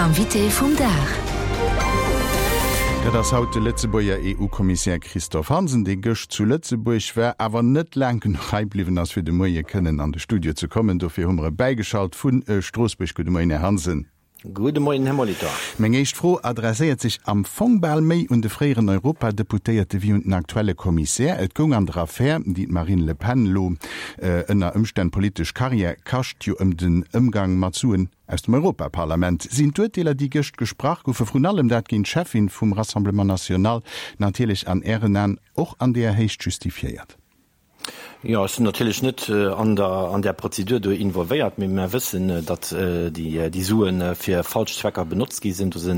Invité vum Dag. Dat ass haut de Lëtzebuerger EU-Kommissär Christophe Hansen, dee gëscht zu Lëtzebuerg war, awer net laang genuch hei bliwwen ass, fir de Moie kënnen an de Studio ze kommen. Dofir hu mer e bäigeschalt vu Stroossbuerg. Gudde Moien, Här Hansen. Gudde Moien, Här Molitor. Meng éischt Fro adresséiert sech am Fong bal méi un de fréieren Europadeputéierte wéi un den aktuelle Kommissär. Et goung an der Affär, déi d'Marine Le Pen elo ënner Ëmstänn politesch Karriär kascht, jo ëm den Ëmgang mat Suen aus dem Europaparlament. Sinn d'Urteeler, déi gëscht gesprach goufen, vrun allem dat géint d'Cheffin vum Rassemblement National, natierlech an Ären Aen och an deeër Héicht justifiéiert? Jo, ech sinn natierlech net an der an där Prozedur do involvéiert, mee mer wëssen, datt déi déi Sue fir falsch Zwecker benotzt gi sinn. Do si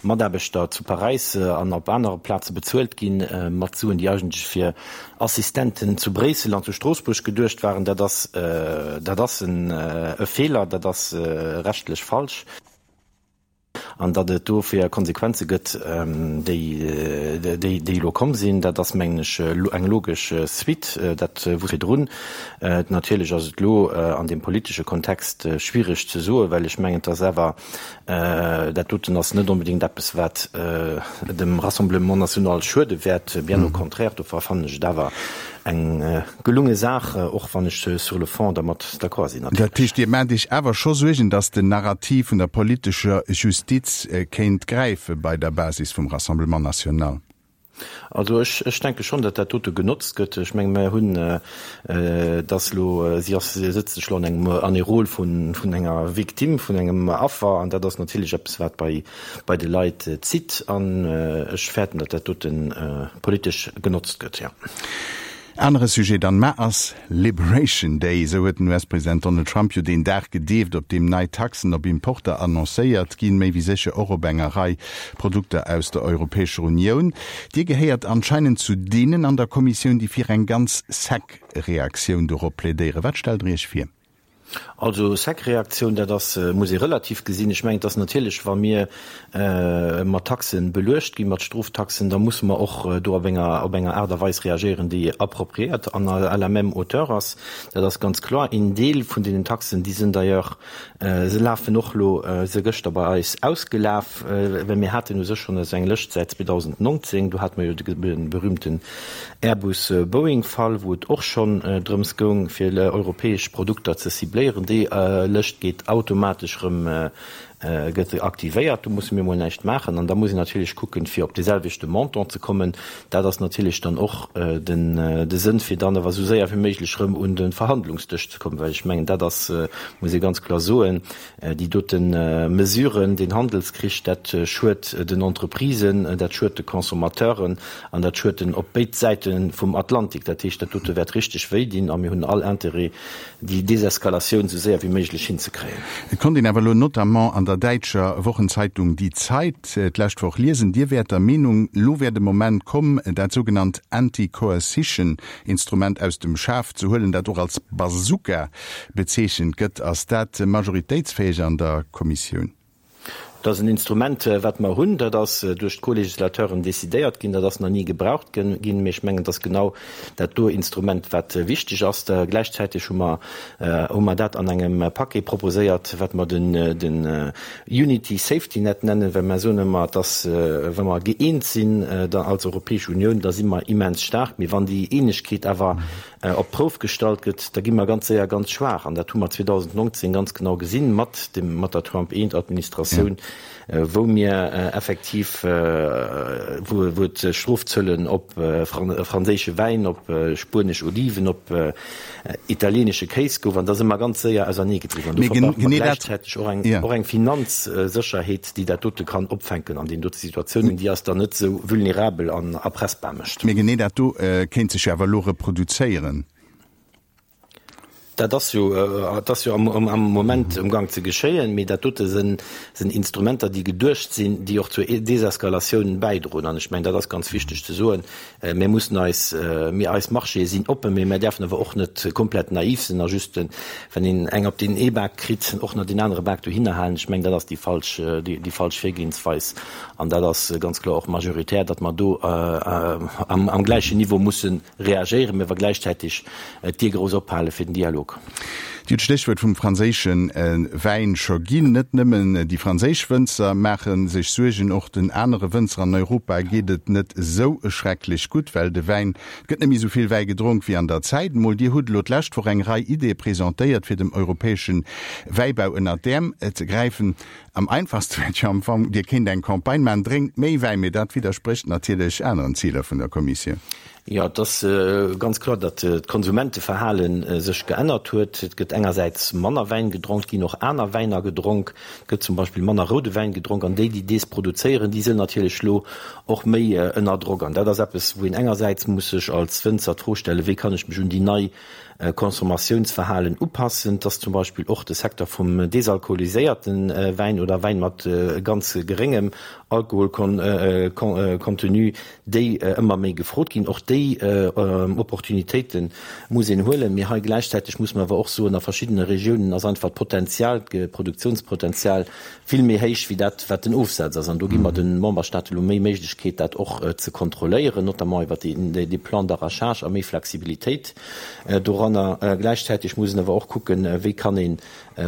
Mataarbechter zu Paräis an op anere Plaze bezuelt gi mat Suen, déi eigentlech fir Assistenten zu Bréissel an zu Stroossbuerg geduecht waren. Dat ass dat ass e Feeler, dat ass rechtlech falsch. An datt et dofir Konsequenze gëtt, déi, déi elo komm sinn, dat ass, mengen ech, eng logesch Suite. Dat wusst virdrun. Natierlech ass et elo an deem politesche Kontext schwierig ze soen, well ech mengen, et ass awer, dat doten ass net onbedéngt eppes, wat dem Rassemblement national schuede wäert, bien au contraire. Dofir fannen ech et awer eng Gelunge Saach, och wann ech sur le fond dermat d'accord sinn natierlech. Dat heescht, Dir maacht Iech awer scho Suergen, datt den Narrativ vun der politescher Justiz kéint gräife bei der Basis vum Rassemblement national? Also ech, ech denke schonn, datt dat dote genotzt gëtt. Ech menge mer hunn, datt elo, si ass, si sëtzt sech elo an engem, an ee Rôle vun, vun enger Victime, vun engem Affer, an dat ass natierlech eppes, wat bei, bei de Leit zitt. An ech fäerten, datt dat dote politesch genotzt gëtt, jo. Anere Sujet dann, Mar ass Liberation Day, esou huet den US-President Donald Trump jo deen Dag gedeeft, op deem nei Taxen op Importer annoncéiert ginn, méi wéi sécher och op enger Rei Produkter aus der Europäescher Unioun. Dir gehéiert anscheinend zu deenen an der Kommissioun, déi fir eng ganz sec Reaktioun dorop plädéieren. Wat stellt Der Iech vir? Also sec Reaktioun, dat ass, muss ee relativ gesinn. Ech mengen, et ass natierlech, wa mir mat Taxe beluecht ginn, mat Stroftaxen, da musse mer och do op enger, op enger Aart a Weis reagéieren, déi appropriéiert an à la même hauteur ass. Dat ass ganz kloer. Een Deel vun deenen Taxen, déi sinn d'ailleurs, se lafen och elo, se gëschter bei eis ausgelaf, well mir haten u sech schonn esou eng Lëscht säit 2019. Do hate mer jo de berühmten Airbus-Boeing-Fall, wou et och schonn drëms goung, fir europäesch Produkter ze cibléieren. Déi Lëscht geet automatesch erëm, gëtt aktivéiert. Do musse mir emol näischt maachen. An da muss een natierlech kucken, fir op dee selwechte Montant ze kommen. Dat ass natierlech dann och de Sënn, fir dann awer esou séier wéi méiglech erëm un de Verhandlungsdësch ze kommen, well ech mengen, dat ass, muss ee ganz kloer soen, Déi dote Mesuren, deen Handelskrich, dat schued den Entreprisen, dat schued de Consommateuren an dat schued den op béid Säite vum Atlantik. Dat heescht, dat dote wäert richteg wéi dinn a mir hunn all Interêt, déi Deseskalatioun esou séier wéi méiglech hinzekréien. Et konnt een awer elo notamment an der däitscher Wochenzeitung Die Zeit d'lescht Woch liesen, Dir wäert der Meenung, elo wär de Moment komm, dat sougenannt Anti-Coercition-Instrument aus dem Schaf ze huelen, dat och als Bazooka Bezeechent gëtt. Ass dat majoritéitsfäeg an der Kommissioun? Dat ass en Instrument, wat mer hunn. Dat ass duerch d'Co-Législateuren decidéiert ginn. Dat ass nach ni gebraucht ginn. Mee ech mengen, et ass genau dat do Instrument, wat wichteg ass. Gläichzäiteg hu mer, hu mer dat an engem Paquet proposéiert, wat mer den, den Unity Safety Net nennen, well mer soen ëmmer, et ass, wa mer gëeent sinn da als Europäesch Unioun, da si mer immens staark. Mee wann déi Eenegkeet awer op d'Prouf gestallt gëtt, da gi mer ganz séier ganz schwaach. An dat hu mer 2019 ganz genau gesinn mat dem, mat der Trump I-Administratioun, wou mir effektiv, wou, wou et Strofzöllen op franséische Wäin, op spuenesch Oliven, op italienesche Kéis gouf. An da si mer ganz séier auserneegedriwwen. An dofir brauche mer gläichzäiteg och eng, och eng Finanzsécherheet, déi dat dote kann opfänken an deenen dote Situatiounen, déi eis dann net esou vulnerabel an erpressbar mécht. Mee genee dat do kéint sech jo awer elo reproduzéieren. Dat ass jo, dat ass jo am Moment um Gang ze geschéien. Mee dat dote sinn Instrumenter, déi geduecht sinn, déi och zur Deseskalatioun bäidroen. An ech mengen, dat ass ganz wichteg ze soen. Mir mussen eis, mir, eis Marchéë sinn oppen, mee mir däerfen awer och net komplett naiv sinn a just, wann een eng op deen ee Bak kritt, och nach deen anere Bak dohinner halen. Ech mengen, dat ass déi falsch, déi falsch Virgehensweis. An dat ass ganz kloer och majoritär, datt mer do am gläichen Niveau musse reagéieren, mee awer gläichzäiteg d'Dier grouss ophale fir den Dialog. Dir hutt d'Stéchwuert vum franséische Wäin scho ginn. Net nëmmen déi franséisch Wënzer maache sech Suergen, och den anere Wënzer an Europa geet et net esou schrecklech gutt, well de Wäin, et gëtt net méi esou vill Wäi gedronk wéi an der Zäit emol. Dir hutt elo d'lescht Woch eng Rei Ideeë presentéiert, fir dem europäesche Wäibau ënnert d'Äerm ze gräifen. Am einfachste wär et jo am Fong, Dir kéint eng Campagne maachen, Drénkt méi Wäin! Mee dat widdersprécht natierlech aneren Ziler vun der Kommissioun. Jo, et ass ganz kloer, datt d'Konsumenteverhale sech geännert huet. Et gëtt engersäits manner Wäin gedronk, et ginn och aner Wäiner gedronk. Et gëtt zum Beispill manner roude Wäin gedronk an déi, déi dees produzéieren, déi sinn natierlech elo och méi ënner Drock. An dat ass eppes, wou een engersäits muss sech als Wënzer d'Fro stellen, wéi kann ech mech un déi nei Consommatiounsverhalen upassen. Et ass zum Beispill och de Secteur vum desalkoholiséierte Wäin oder Wäin mat ganz geréngem Alkoholcontenu, déi ëmmer méi gefrot ginn. Och déi Opportunitéite muss een huelen. Mee hei gläichzäiteg muss mer awer och soen, a verschiddene Regiounen ass einfach d'Potenzial, d'Produktionspotenzial vill méi héich wéi dat, wat den Ofsaz ass. An do gi mer de Memberstaate lo méi Méiglechkeet, dat och ze kontrolléieren, notamment iwwert dee Plan d'arrachage a méi Flexibilitéit doranner. Gläichzäiteg muss een awer och kucken, wéi kann ee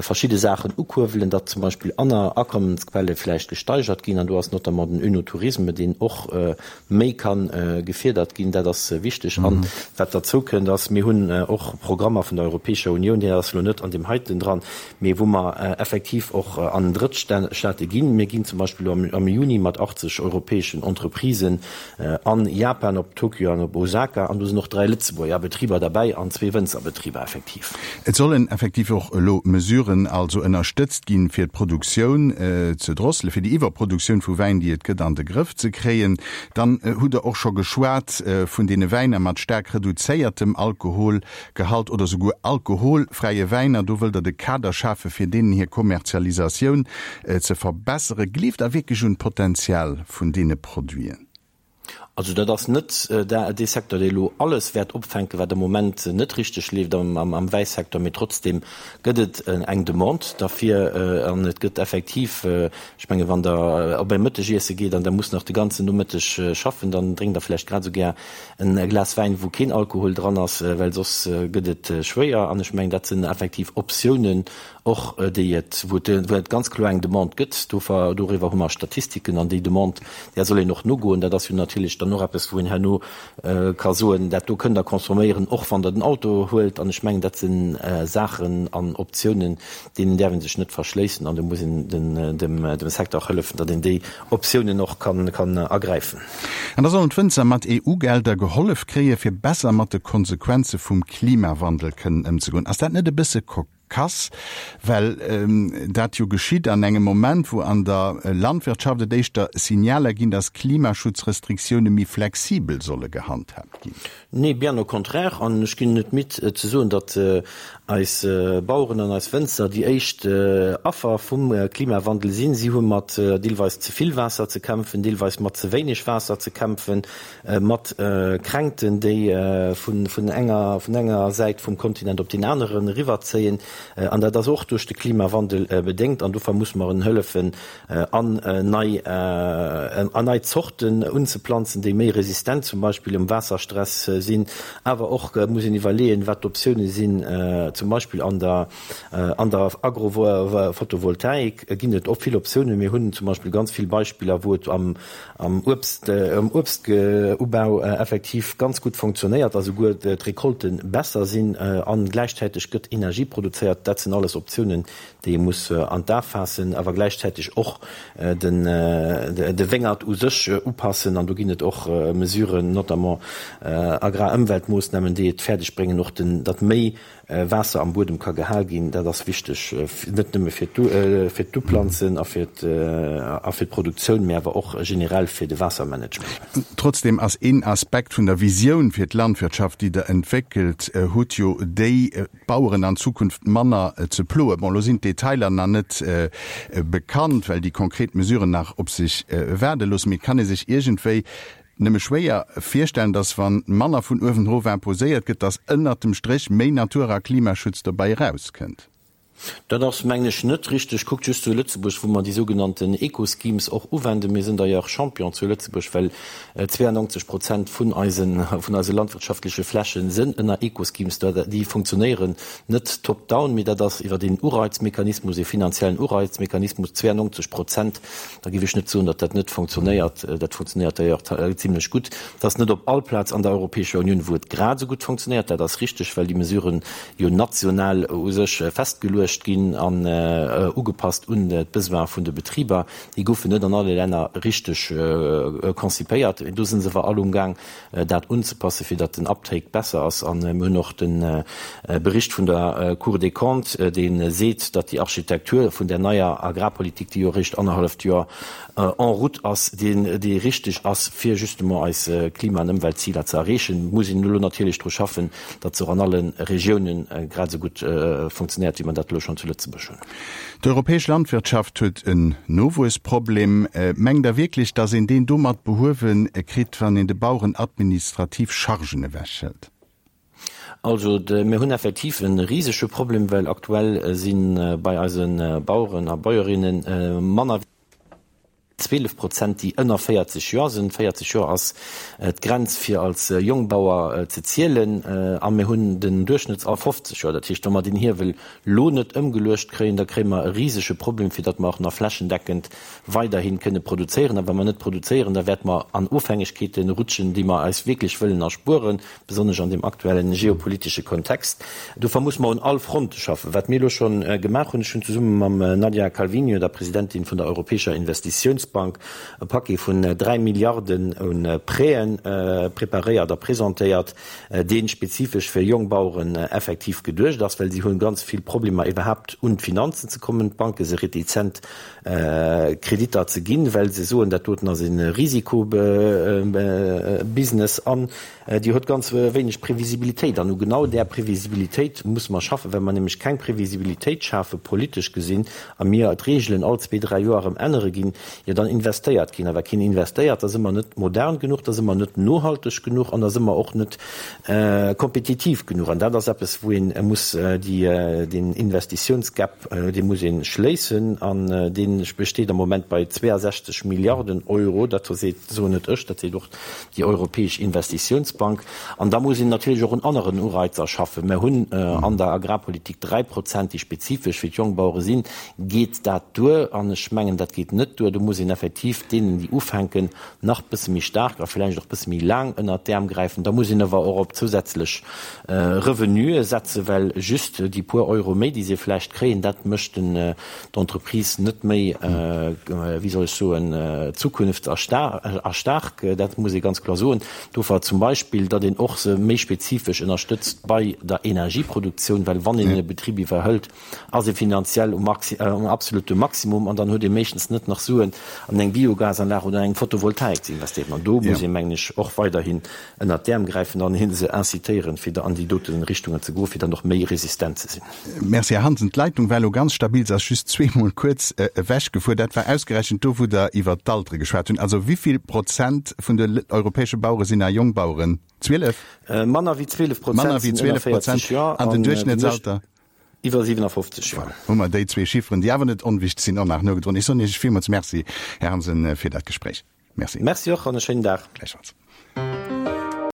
verschidde Saachen ukuerwelen, datt zum Beispill aner Akommensquelle vläicht gesteigert ginn, an do ass notamment den Oenotourisme, deen och méi ka gefierdert ginn. Dat ass wichteg. An wat derzou kënnt, ass, mir hunn och Programmer vun der Europäescher Unioun, déi ass elo net an deem heiten dran, mee wou mer effektiv och an Drëttstaate ginn. Mir ginn zum Beispill elo am Juni mat 80 europäeschen Entreprisen An Japan, op Tokio an op Osaka, an do sinn och 3 Lëtzebuerger Betriber derbäi an zwee Wënzerbetriber effektiv. Et sollen effektiv och elo Mesuren also ënnerstëtzt ginn, fir d'Produktioun ze drosselen, fir déi Iwwerproduktioun vu Wäin, déi et gëtt, an de Grëff ze kréien. Dann hutt Der och scho geschwat vun deene Wäiner mat staark reduzéiertem Alkoholgehalt oder souguer alkoholfräie Wäiner. Do wëllt Der de Kader schafen, fir deenen hir Kommerzialisatioun ze verbesseren. Gleeft Der wierklech un d'Potenzial vun deene Produiten? Also dat ass net dee Secteur, dee elo alles wäert opfänken, wat am Moment net richteg leeft am Wäisecteur, mee trotzdeem gëtt et eng Demande derfir an et gëtt effektiv, ech menge wann Der op e Mëttegiesse geet an Der musst nach de ganzen Nomëtteg schaffen, dann drénkt Der vläicht grad esou gär en Glas Wäin, wou keen Alkohol dran ass, well soss gëtt et schwéier. An ech mengen, dat sinn effektiv Optiounen, och déi et, wou et, wou et ganz kloer eng Demande gëtt, dover, doriwwer hu mer Statistiken, an déi Demande, där soll een och nogoen. Dat ass jo natierlech dann och eppes, wou een herno ka soen, dat do kënnt Der consomméieren, och wann Der den Auto huelt. An ech mengen, dat si Saachen an Optiounen, deenen däerf ee sech net verschléissen, an do muss een den, dem, dem Secteur och hëllefen, datt een déi Optiounen och kann, kann ergräifen. An da sollen d'Wënzer mat EU-Gelder gehollef kréien, fir besser mat de Konsequenze vum Klimawandel kënnen ëmzegoen. Ass dat net e bësse Kass, well dat jo geschitt an engem Moment, wou an der Landwirtschaft et éischter Signaler ginn, datt Klimaschutzrestriktioune méi flexibel solle gehandhaabt ginn. Nee, bien au contraire. An ech ginn net midd ze soen, datt eis Baueren an eis Wënzer déi éischt Affer vum Klimawandel sinn. Si hu mat deelweis ze vill Waasser ze kämpfen, deelweis mat ze wéineg Waasser ze kämpfen. mat Kränkten, déi vun enger Säit vum Kontinent op deen aneren eriwwerzéien. An dat ass och duerch de Klimawandel bedéngt. An dofir muss mer en hëllefen, an nei an nei Zorten unzeplanzen, déi méi resistent zum Beispill um Waasserstress sinn. Awer och muss een iwwerleeën, wat d'Optioune sinn, zum Beispill an der an der Agrophotovoltaik ginn et och vill Optiounen. Mir hunn zum Beispill ganz vill Beispiller, wou et am am Uebst, am Uebstubau effektiv ganz gutt fonctionnéiert a souguer d'Recolte besser sinn an gläichzäiteg gëtt Energie produzéiert. Dat sinn alles Optiounen, déi ee muss an d'A faassen, awer gläichzäiteg och den, de Wéngert u sech upassen. An do ginn et och Mesuren, notamment Agrarëmweltmoossnamen, déi et fäerdeg bréngen, och den, datt méi Waasser am Buedem ka gehal ginn, dat ass wichteg, net nëmme fir d'Uplanzen a fir d'Produktioun, mee awer och generell fir de Waassermanagement. Trotzdem ass een Aspekt vun der Visioun fir d'Landwirtschaft, déi Der entwéckelt hutt, jo déi, d'Baueren an Zukunft manner ze ploen. Bon, elo sinn d'Detailer nach net bekannt, well déi konkret Mesuren nach op sech waarde loossen, mee et kann ee sech iergendwéi Nëmme schwéier virstellen, dass wann manner vun uewen erof imposéiert gëtt, dass ënnert dem Stréch méi Natur a Klimaschutz dobäi erauskënnt. Dat ass, mengen ech, net richteg. Kuckt just zu Lëtzebuerg, wou mer déi sougenannten Eco-Schemes och uwenden. Mir sinn d'ailleurs Champion zu Lëtzebuerg, well 92 Prozent vun eisen, vun eise landwirtschaftleche Flächen sënn ënner Eco-Schemes. Déi funktionéieren net top-down, mee dat ass iwwer een Ureizmechanismus, ee finanziellen Ureizmechanismus. 92 Prozent, da géif ech net soen, datt dat net funktionéiert. Dat funktionéiert d'ailleurs zimlech gutt. Et ass net op all Plaz an der Europäescher Unioun, wou et grad esou gutt funktionéiert. Dat ass richteg, well déi Mesuren jo national u sech festgeluecht ginn an ugepasst un d'Besoine vun de Betriber. Déi goufen net an alle Länner richteg konzipéiert. Do si se awer all umgaang, dat unzepassen, fir datt den Uptake besser ass. A mir hunn och de Bericht vun der Cour des Comptes, dee seet, datt déi Architektur vun där neier Agrarpolitik, déi jo eréischt annerhalleft Joer en route ass, deen dee richteg ass, fir justement eis Klima an Ëmweltziler ze erreechen. Muss een elo natierlech dru schaffen, datt se och an alle Regiounen grad esou gutt funktionéiert, wéi mer dat elo schonn zu Lëtzebuerg hunn. D'europäesch Landwirtschaft huet en Nowuessproblem. Mengt Der wierklech, datt een deen domat behuewe kritt, wann een de Baueren administrativ Chargen ewechhëlt? Also, mir hunn effektiv e risege Problem, well aktuell si bei eise Baueren a Bäuerinne manner wéi 12 Prozent, déi ënner 40 Joer sinn. 40 Joer ass d'Grenz, fir als Jongbauer ze zielen. A mir hunn den Duerchschnëttsalter 50 Joer. Dat heescht, wa mer deen Hiewel lo net ëmgeluecht kréien, da kréie mer e risege Problem, fir datt mer och nach flächendeckend weiderhi kënne produzéieren. A wa mer net produzéieren, da wäerte mer an Ofhängegkeete rutschen, déi mer eis wierklech wëllen erspueren. besonnesch an deem aktuellen geopolitesche Kontext. Dofir muss mer un all Fronte schaffen. Wat mir elo scho gemaach hunn, ech hunn zesumme mam Nadia Calviño, der Presidentin vun der Europäescher Investitiounsbank, e Paquet vun 3 Milliarden u Prêten preparéiert a presentéiert, dee spezifesch fir jonk Baueren effektiv geduecht ass, well si hu ganz vill Problemer iwwerhaapt un d'Finanzen ze kommen. D'Banke si retizent Kreditter ze ginn, well se soen, dat doten ass e Risikobusiness an Dir hutt ganz wéineg Previsibilitéit. An u genau där Previsibilitéit musse mer schaffen. Well mer nämlech keng Previsibilitéit schafe politesch gesinn a mir d'Reegelen all zwee, dräi Joer erëm ännere ginn, jo dann investéiert keen. A wa keen investéiert, da si mer net modern genuch, da si mer net nohalteg genuch an da si mer och net kompetitiv genuch. An dat ass eppes, wou ee muss déi, deen Investitiounsgap, dee muss ee schléissen. An dee besteet am Moment bei 62 Milliarden Euro. Dat seet, soen net ech, dat seet och déi Europäesch Investitiounsbank. An da muss een natierlech och un aneren Ureizer schaffen. Mer hunn an der Agrarpolitik 3 Prozent, déi spezifesch fir d'Jongbauere sinn. Geet dat duer? An ech mengen, dat geet net duer. Do muss een effektiv deenen, déi ufänken, nach bësse méi staark a vläicht och bësse méi laang ënnert d'Äerm gräifen. Da muss een awer och op zousätzlech Revenuë setzen, well just déi puer Euro méi, déi se vläicht kréien, dat mécht den d'Entreprise net méi, wéi soll ech soen, zukunftsarstark, dat muss ee ganz kloer soen. Dofir zum Beispill, datt een och se méi spezifesch ënnerstëtzt bei der Energieproduktioun, well wann een e Betrib iwwerhëlt, ass ee finanziell um absolute Maximum an dann huet ee meeschtens net nach Suen an eng Biogasanlag oder an eng Photovoltaik ze investéieren. An do muss ee, mengen ech, och weiderhin ënnert d'Äerm gräifen an hie se incitéieren, fir an déi dote Richtungen ze goen, fir dann och méi resistent ze sinn. Merci, Här Hansen. D'Leitung war elo ganz stabil, se ass just zweemol kuerz ewechgefuer. Dat war ausgerechent do, wou Der iwwert d'Altere geschwat hunn. Also wéi vill Prozent vun de europäesche Bauere sinn nach Jongbaueren? 12? Manner wéi 12 Prozent sinn ënner 40 Joer. An den Duerchschnëttsalter? Iwwer 57 Joer. Voilà, hu mer déi zwee Chifferen, déi awer net onwichtig sinn, och nach nogedroen. Ech soen Iech villmools Merci, Här Hansen, fir dat Gespréich. Merci. Merci och an e schéinen Dag. Gläichfalls.